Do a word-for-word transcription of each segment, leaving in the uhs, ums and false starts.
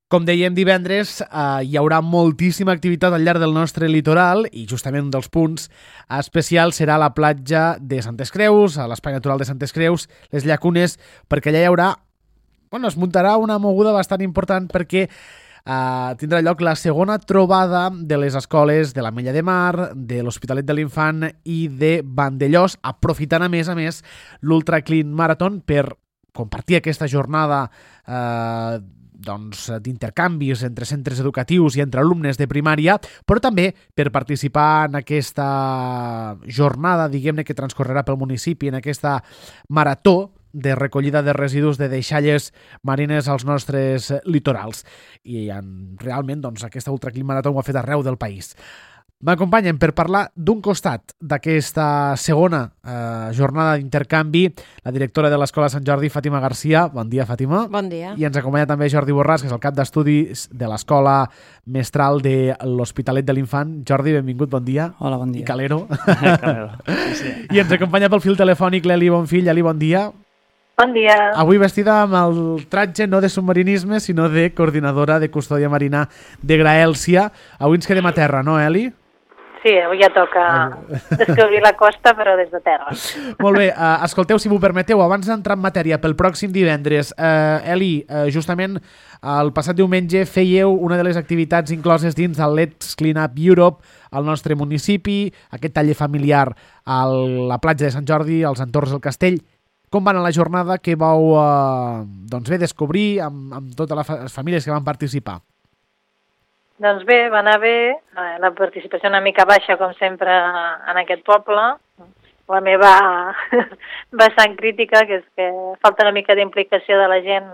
Com dèiem, divendres eh, hi haurà moltíssima activitat al llarg del nostre litoral i justament un dels punts especials serà la platja de Santes Creus, a l'Espai Natural de Santes Creus, les Llacunes, perquè allà hi haurà, bueno, es muntarà una moguda bastant important perquè eh, tindrà lloc la segona trobada de les escoles de l'Ametlla de Mar, de l'Hospitalet de l'Infant i de Vandellòs, aprofitant a més a més l'Ultra Clean Marathon per compartir aquesta jornada eh, doncs, d'intercanvis entre centres educatius i entre alumnes de primària, però també per participar en aquesta jornada, diguem-ne, que transcorrerà pel municipi, en aquesta marató de recollida de residus de deixalles marines als nostres litorals. I en, realment doncs, aquesta Ultra Clean Marathon ho ha fet arreu del país. M'acompanyen per parlar d'un costat d'aquesta segona eh, jornada d'intercanvi la directora de l'Escola Sant Jordi, Fàtima Garcia. Bon dia, Fàtima. Bon dia. I ens acompanya també Jordi Borràs, que és el cap d'estudis de l'Escola Mestral de l'Hospitalet de l'Infant. Jordi, benvingut, bon dia. Hola, bon dia. I Calero. Calero. Sí, sí. I ens acompanya pel fil telefònic l'Eli Bonfill. Eli, bon dia. Bon dia. Avui vestida amb el tratge no de submarinisme, sinó de coordinadora de custòdia marina de Graèlcia. Avui ens quedem a terra, no, Eli? Sí, avui ja toca descobrir la costa, però des de terra. Molt bé, uh, escolteu, si m'ho permeteu, abans d'entrar en matèria pel pròxim divendres, uh, Eli, uh, justament el passat diumenge fèieu una de les activitats incloses dins del Let's Clean Up Europe al nostre municipi, aquest taller familiar a la platja de Sant Jordi, als entorns del castell. Com va anar la jornada que vau uh, doncs bé, descobrir amb, amb totes les famílies que van participar? Doncs bé, va anar bé, la participació una mica baixa, com sempre, en aquest poble. La meva vessant crítica, que és que falta una mica d'implicació de la gent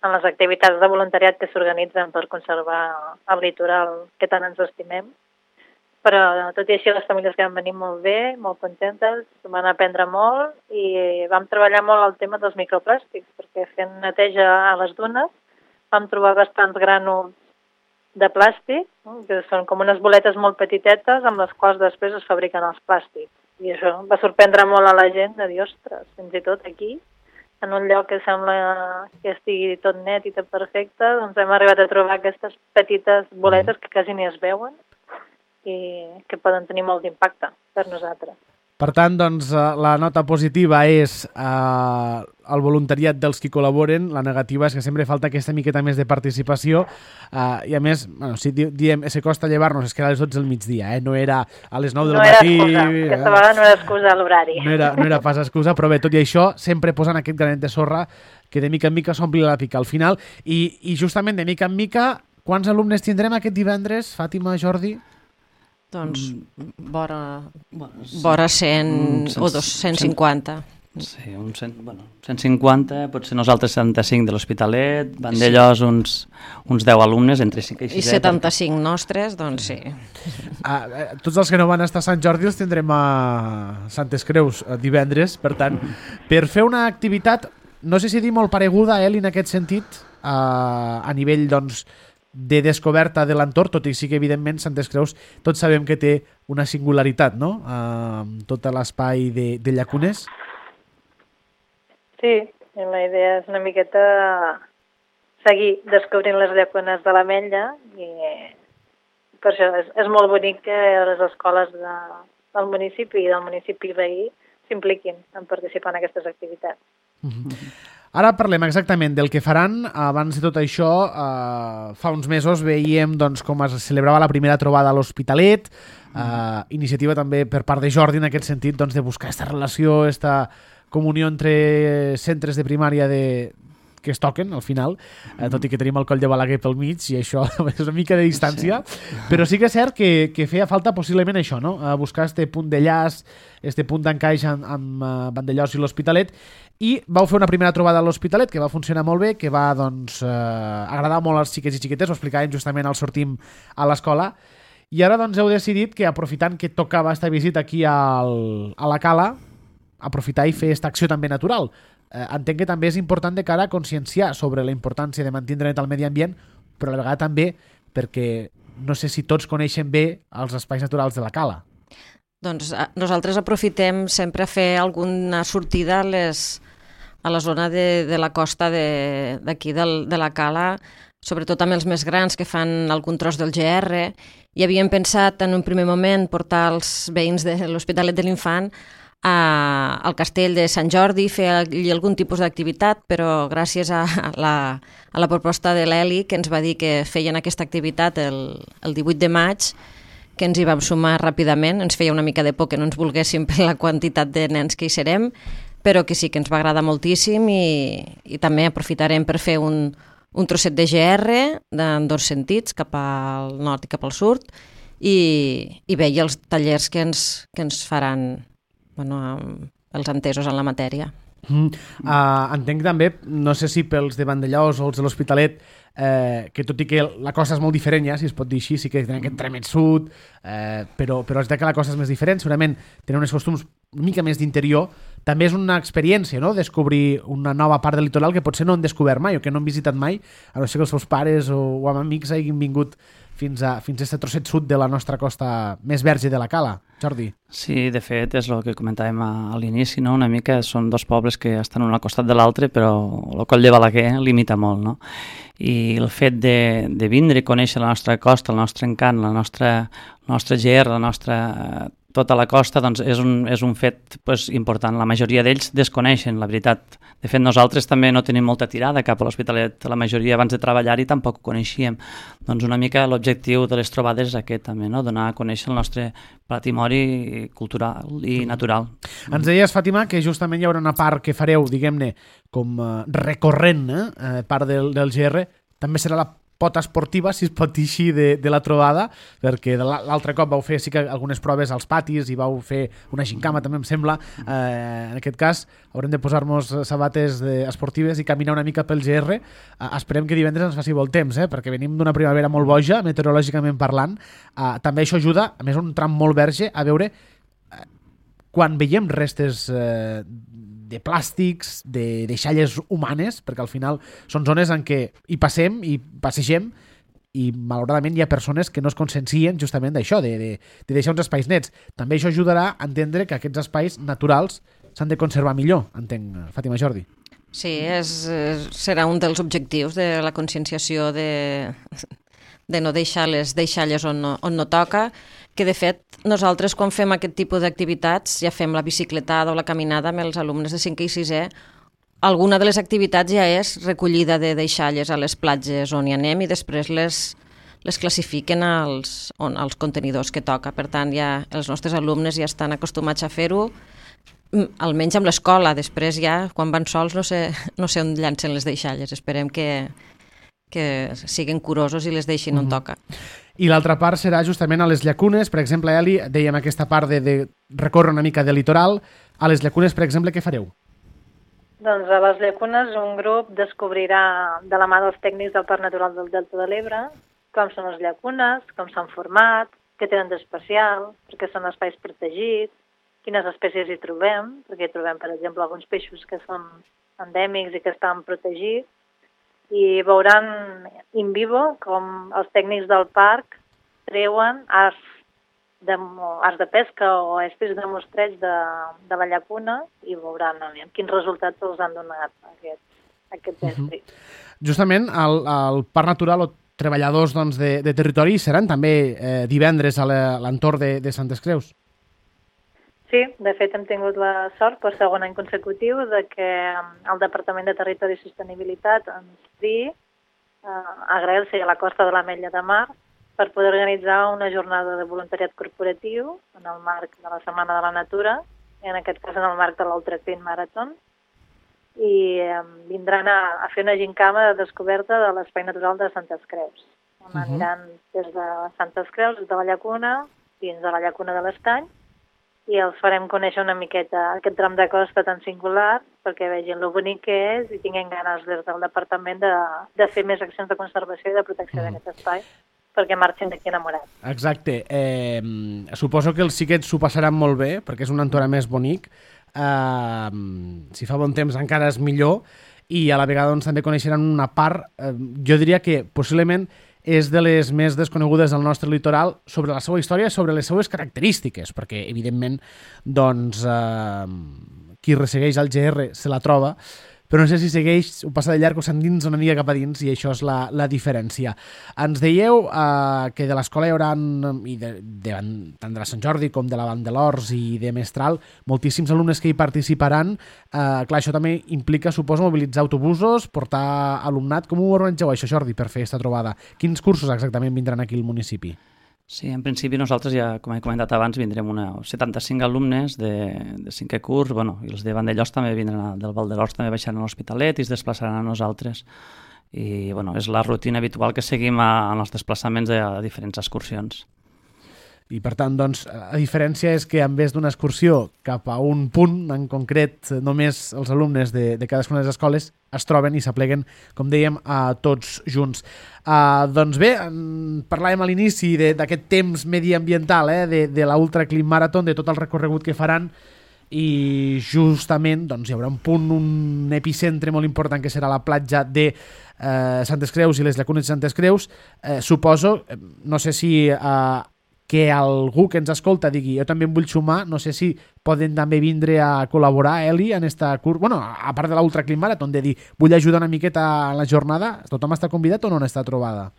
en les activitats de voluntariat que s'organitzen per conservar el litoral que tant ens estimem. Però, tot i així, les famílies que van venir molt bé, molt contentes, van aprendre molt i vam treballar molt el tema dels microplàstics, perquè fent neteja a les dunes vam trobar bastants grànuls de plàstic, que són com unes boletes molt petitetes amb les quals després es fabriquen els plàstics. I això va sorprendre molt a la gent de dir, ostres, fins i tot aquí, en un lloc que sembla que estigui tot net i tot perfecte, doncs hem arribat a trobar aquestes petites boletes que quasi ni es veuen i que poden tenir molt d'impacte per nosaltres. Per tant, doncs, la nota positiva és eh, el voluntariat dels qui col·laboren, la negativa és que sempre falta aquesta miqueta més de participació eh, i a més, bueno, si diem se costa llevar-nos, és que era a les dotze del migdia, eh? No era a les nou del no matí. Era excusa. Aquesta vegada no era excusa a l'horari. No era, no era pas excusa, però bé, tot i això, sempre posant aquest granet de sorra que de mica en mica s'ompli la pica al final i, i justament de mica en mica, quants alumnes tindrem aquest divendres, Fàtima, Jordi? Doncs vora, Bueno, sí. vora cent Mm, o dos, cent cinquanta. Sí, un cent, bueno, cent cinquanta, potser nosaltres setanta-cinc de l'Hospitalet, Vandellòs uns, uns deu alumnes, entre cinc i sis. I setanta-cinc nostres, doncs sí. Ah, eh, tots els que no van estar a Sant Jordi els tindrem a Santes Creus eh, divendres, per tant, per fer una activitat, no sé si dir molt pareguda, Eli, en aquest sentit, eh, a nivell, doncs, de descoberta de l'entorn, tot i sí que, evidentment, Santes Creus tots sabem que té una singularitat, no?, amb tot l'espai de, de llacunes. Sí, la idea és una miqueta seguir descobrint les llacunes de l'Ametlla i per això és, és molt bonic que les escoles de, del municipi i del municipi veí s'impliquin en participar en aquestes activitats. Mm-hmm. Ara parlem exactament del que faran. Abans de tot això, eh, fa uns mesos veiem doncs, com es celebrava la primera trobada a l'Hospitalet, eh, iniciativa també per part de Jordi en aquest sentit doncs, de buscar aquesta relació, aquesta comunió entre centres de primària de, que es toquen al final, eh, tot i que tenim el Coll de Balaguer pel mig i això és una mica de distància, sí. Però sí que és cert que, que feia falta possiblement això, no? Eh, buscar este punt de llaç, este punt d'encaix amb, amb uh, Vandellòs i l'Hospitalet, i vau fer una primera trobada a l'Hospitalet que va funcionar molt bé, que va doncs, eh, agradar molt als xiquets i xiquetes, ho explicàvem justament al sortim a l'escola, i ara doncs heu decidit que aprofitant que tocava esta visita aquí al, a la Cala, aprofitar i fer aquesta acció també natural. Eh, entenc que també és important de cara a conscienciar sobre la importància de mantenir net el medi ambient, però a la vegada també perquè no sé si tots coneixen bé els espais naturals de la Cala. Doncs a, nosaltres aprofitem sempre a fer alguna sortida a, les, a la zona de, de la costa d'aquí de, de la Cala, sobretot amb els més grans que fan algun tros del G R, i havíem pensat en un primer moment portar els veïns de l'Hospitalet de l'Infant a, al castell de Sant Jordi, fer allí algun tipus d'activitat, però gràcies a la, a la proposta de l'Eli, que ens va dir que feien aquesta activitat el, el divuit de maig, que ens hi vam sumar ràpidament, ens feia una mica de por que no ens volguéssim per la quantitat de nens que hi serem, però que sí que ens va agradar moltíssim i, i també aprofitarem per fer un, un trosset de G R en dos sentits, cap al nord i cap al sud, i, i bé, i els tallers que ens, que ens faran bueno, els entesos en la matèria. Mm. Uh, entenc també, no sé si pels de Vandellòs o els de l'Hospitalet, eh, que tot i que la cosa és molt diferent, ja, si es pot dir així, sí que tenen aquest tremet sud, eh, però, però és que la cosa és més diferent, segurament tenen uns costums una mica més d'interior, també és una experiència, no?, descobrir una nova part del litoral que potser no han descobert mai o que no han visitat mai, a no ser que els seus pares o, o amb amics hagin vingut fins a, fins a aquest trosset sud de la nostra costa més verge de la Cala. Jordi. Sí, de fet, és el que comentàvem a, a l'inici, no? Una mica són dos pobles que estan un al costat de l'altre, però el Coll de Balaguer limita molt, no? I el fet de, de vindre i conèixer la nostra costa, el nostre encant, la nostra, el nostre G R, la nostra... tota la costa, doncs és un, és un fet pues, important. La majoria d'ells desconeixen, la veritat. De fet, nosaltres també no tenim molta tirada cap a l'Hospitalet. La majoria abans de treballar-hi tampoc ho coneixíem. Doncs una mica l'objectiu de les trobades és aquest també, no? Donar a conèixer el nostre patrimoni cultural i natural. Ens deies, Fàtima, que justament hi haurà una part que fareu, diguem-ne, com uh, recorrent, eh? part del, del G R. També serà la pota esportiva, si es pot dir així, de, de la trobada, perquè l'altre cop vau fer sí que algunes proves als patis i vau fer una gincama, també em sembla. Eh, en aquest cas haurem de posar-nos sabates de, esportives i caminar una mica pel G R. Eh, esperem que divendres ens faci molt temps, eh, perquè venim d'una primavera molt boja, meteorològicament parlant. Eh, també això ajuda, a més un tram molt verge, a veure eh, quan veiem restes eh, de plàstics, de deixalles humanes, perquè al final són zones en què hi passem i passegem i malauradament hi ha persones que no es consciencien justament d'això, de, de, de deixar uns espais nets. També això ajudarà a entendre que aquests espais naturals s'han de conservar millor, entenc, Fàtima, Jordi. Sí, és, serà un dels objectius de la conscienciació de, de no deixar les deixalles on no, on no toca, que de fet nosaltres quan fem aquest tipus d'activitats, ja fem la bicicletada o la caminada amb els alumnes de cinquè i sisè, alguna de les activitats ja és recollida de deixalles a les platges on hi anem i després les, les classifiquen als, on, als contenidors que toca. Per tant, ja els nostres alumnes ja estan acostumats a fer-ho, almenys amb l'escola. Després ja, quan van sols, no sé, no sé on llancen les deixalles. Esperem que, que siguin curosos i les deixin on toca. I l'altra part serà justament a les llacunes. Per exemple, Eli, dèiem aquesta part de, de recórrer una mica de litoral. A les llacunes, per exemple, què fareu? Doncs a les llacunes un grup descobrirà de la mà dels tècnics del Parc Natural del Delta de l'Ebre com són les llacunes, com s'han format, què tenen d'especial, perquè són espais protegits, quines espècies hi trobem, perquè hi trobem, per exemple, alguns peixos que són endèmics i que estan protegits, i veuran in vivo com els tècnics del parc treuen arts de, arts de pesca o espècies de mostreig de, de la llacuna i veuran aviam, quins resultats els han donat aquest, aquest estri. Uh-huh. Justament al, al Parc Natural o treballadors doncs, de, de territori seran també eh, divendres a l'entorn de, de Santes Creus. Sí, de fet hem tingut la sort per segon any consecutiu de que el Departament de Territori i Sostenibilitat ens digui eh, a Graells i a la costa de l'Ametlla de Mar per poder organitzar una jornada de voluntariat corporatiu en el marc de la Setmana de la Natura, en aquest cas en el marc de l'Ultra Clean Marathon, i eh, vindran a, a fer una gincama de descoberta de l'espai natural de Santes Creus. On uh-huh. Aniran des de Santes Creus, des de la llacuna, fins a la llacuna de l'Estany, i els farem conèixer una miqueta aquest tram de costa tan singular perquè vegin lo bonic que és i tinguin ganes des del departament de, de fer més accions de conservació i de protecció mm. d'aquest espai perquè marxin d'aquí enamorats. Exacte. Eh, suposo que els xiquets s'ho passaran molt bé perquè és un entorn més bonic. Eh, si fa bon temps encara és millor i a la vegada doncs, també coneixeran una part, eh, jo diria que possiblement és de les més desconegudes del nostre litoral sobre la seva història, sobre les seues característiques, perquè, evidentment, doncs, eh, qui ressegueix el G R se la troba, però no sé si segueix o passa de llarg o s'endins una mica cap a dins, i això és la, la diferència. Ens dèieu eh, que de l'escola hi haurà, i de, de, tant de la Sant Jordi com de la Vall de l'Horts i de Mestral, moltíssims alumnes que hi participaran. Eh, clar, això també implica, suposo, mobilitzar autobusos, portar alumnat. Com ho organitzeu això, Jordi, per fer aquesta trobada? Quins cursos exactament vindran aquí al municipi? Sí, en principi nosaltres ja, com he comentat abans, vindrem una setanta-cinc alumnes de, de cinquè curs, bueno, i els de Vandellós també vindran, a, del Val de l'Horts també baixaran a l'Hospitalet i es desplaçaran a nosaltres. I bueno, és la rutina habitual que seguim a, en els desplaçaments de, a diferents excursions. I per tant, doncs, la diferència és que en vez d'una excursió cap a un punt, en concret només els alumnes de, de cadascuna de les escoles es troben i s'apleguen, com dèiem, a tots junts. Uh, doncs bé, parlàvem a l'inici d'aquest temps mediambiental, eh, de, de l'Ultra Clean Marathon, de tot el recorregut que faran, i justament doncs, hi haurà un punt, un epicentre molt important que serà la platja de eh, Santes Creus i les llacunes de Santes Creus. Eh, suposo, no sé si eh, que algú que ens escolta digui jo també em vull sumar, no sé si poden també vindre a col·laborar, Eli, en esta curs, bueno, a part de l'Ultra Clean Marathon, de dir vull ajudar una miqueta a la jornada, tothom està convidat o no n'està trobada?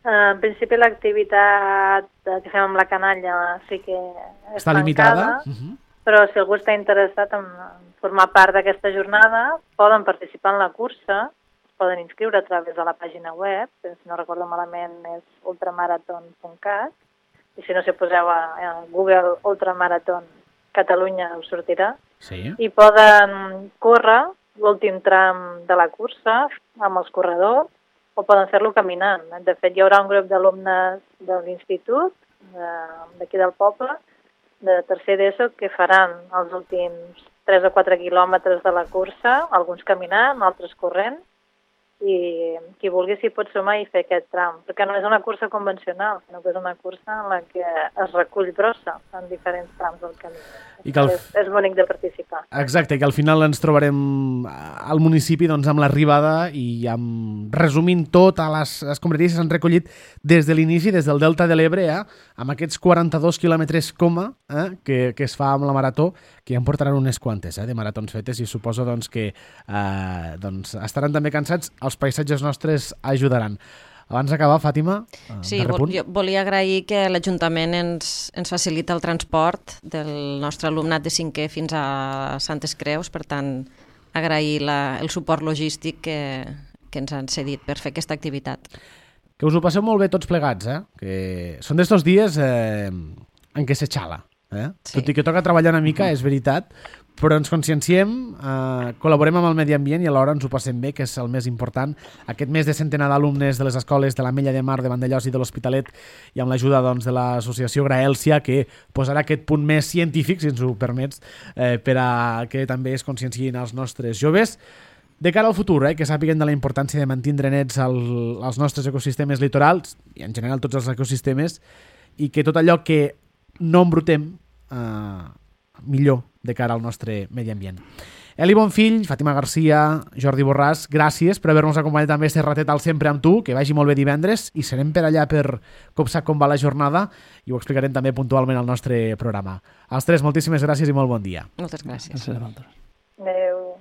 Uh, en principi l'activitat que fem amb la canalla sí que és està tancada, limitada, uh-huh. Però si algú està interessat en formar part d'aquesta jornada, poden participar en la cursa, poden inscriure a través de la pàgina web, que si no recordo malament és ultramarathon punt cat, i si no, si poseu a, a Google Ultramarathon Catalunya us sortirà, sí. I poden córrer l'últim tram de la cursa amb els corredors o poden fer-lo caminant. De fet, hi haurà un grup d'alumnes de l'institut, d'aquí del poble, de tercer d'ESO, que faran els últims tres o quatre quilòmetres de la cursa, alguns caminant, altres corrent, i qui vulgui s'hi pot sumar i fer aquest tram, perquè no és una cursa convencional, sinó que és una cursa en la que es recull brossa en diferents trams del camí. I que el... és, és bonic de participar. Exacte, que al final ens trobarem al municipi doncs, amb l'arribada i amb resumint totes les escombraries que s'han recollit des de l'inici, des del Delta de l'Ebre, eh, amb aquests quaranta-dos quilòmetres coma eh, que, que es fa amb la marató, que ja en portaran unes quantes eh, de maratons fetes, i suposo doncs, que eh, doncs, estaran també cansats. Els paisatges nostres ajudaran. Abans d'acabar, Fàtima, sí, vol, jo volia agrair que l'Ajuntament ens, ens facilita el transport del nostre alumnat de cinquè fins a Santes Creus, per tant, agrair la, el suport logístic que, que ens han cedit per fer aquesta activitat. Que us ho passeu molt bé tots plegats, eh? Que són d'estos dies eh, en què s'aixala. Eh? Sí. Tot i que toca treballar una mica, és veritat, però ens conscienciem, eh, col·laborem amb el medi ambient i alhora ens ho passem bé, que és el més important. Aquest mes de centenar d'alumnes de les escoles de l'Ametlla de Mar, de Vandellós i de l'Hospitalet, i amb l'ajuda doncs, de l'associació Graèlcia, que posarà aquest punt més científic, si ens ho permets, eh, per a que també es consciencien els nostres joves. De cara al futur, eh, que sàpiguen de la importància de mantenir nets el, els nostres ecosistemes litorals, i en general tots els ecosistemes, i que tot allò que no embrutem eh, millor de cara al nostre medi ambient. Eli Bonfill, Fàtima Garcia, Jordi Borràs, gràcies per haver-nos acompanyat també este ratet al Sempre amb tu, que vagi molt bé divendres, i serem per allà per copsar com va la jornada i ho explicarem també puntualment al nostre programa. Als tres, moltíssimes gràcies i molt bon dia. Moltes gràcies. Gràcies a vosaltres. Adéu.